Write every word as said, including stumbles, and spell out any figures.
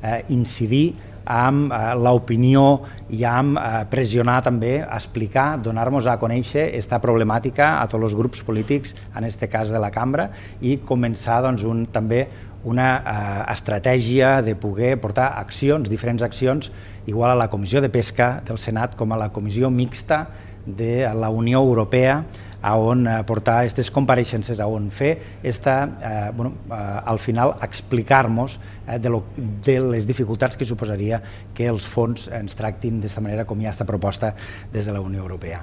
eh, incidir amb eh, l'opinió i amb eh, pressionar també, explicar, donar-nos a conèixer aquesta problemàtica a tots els grups polítics, en aquest cas de la cambra, i començar doncs, un, també una eh, estratègia de poder portar accions, diferents accions, igual a la Comissió de Pesca del Senat com a la Comissió Mixta de la Unió Europea, a on portar aquestes compareixences, a on fer esta, eh, bueno, eh, al final explicar-nos eh, de, lo, de les dificultats que suposaria que els fons ens tractin d'aquesta manera com hi ha aquesta proposta des de la Unió Europea.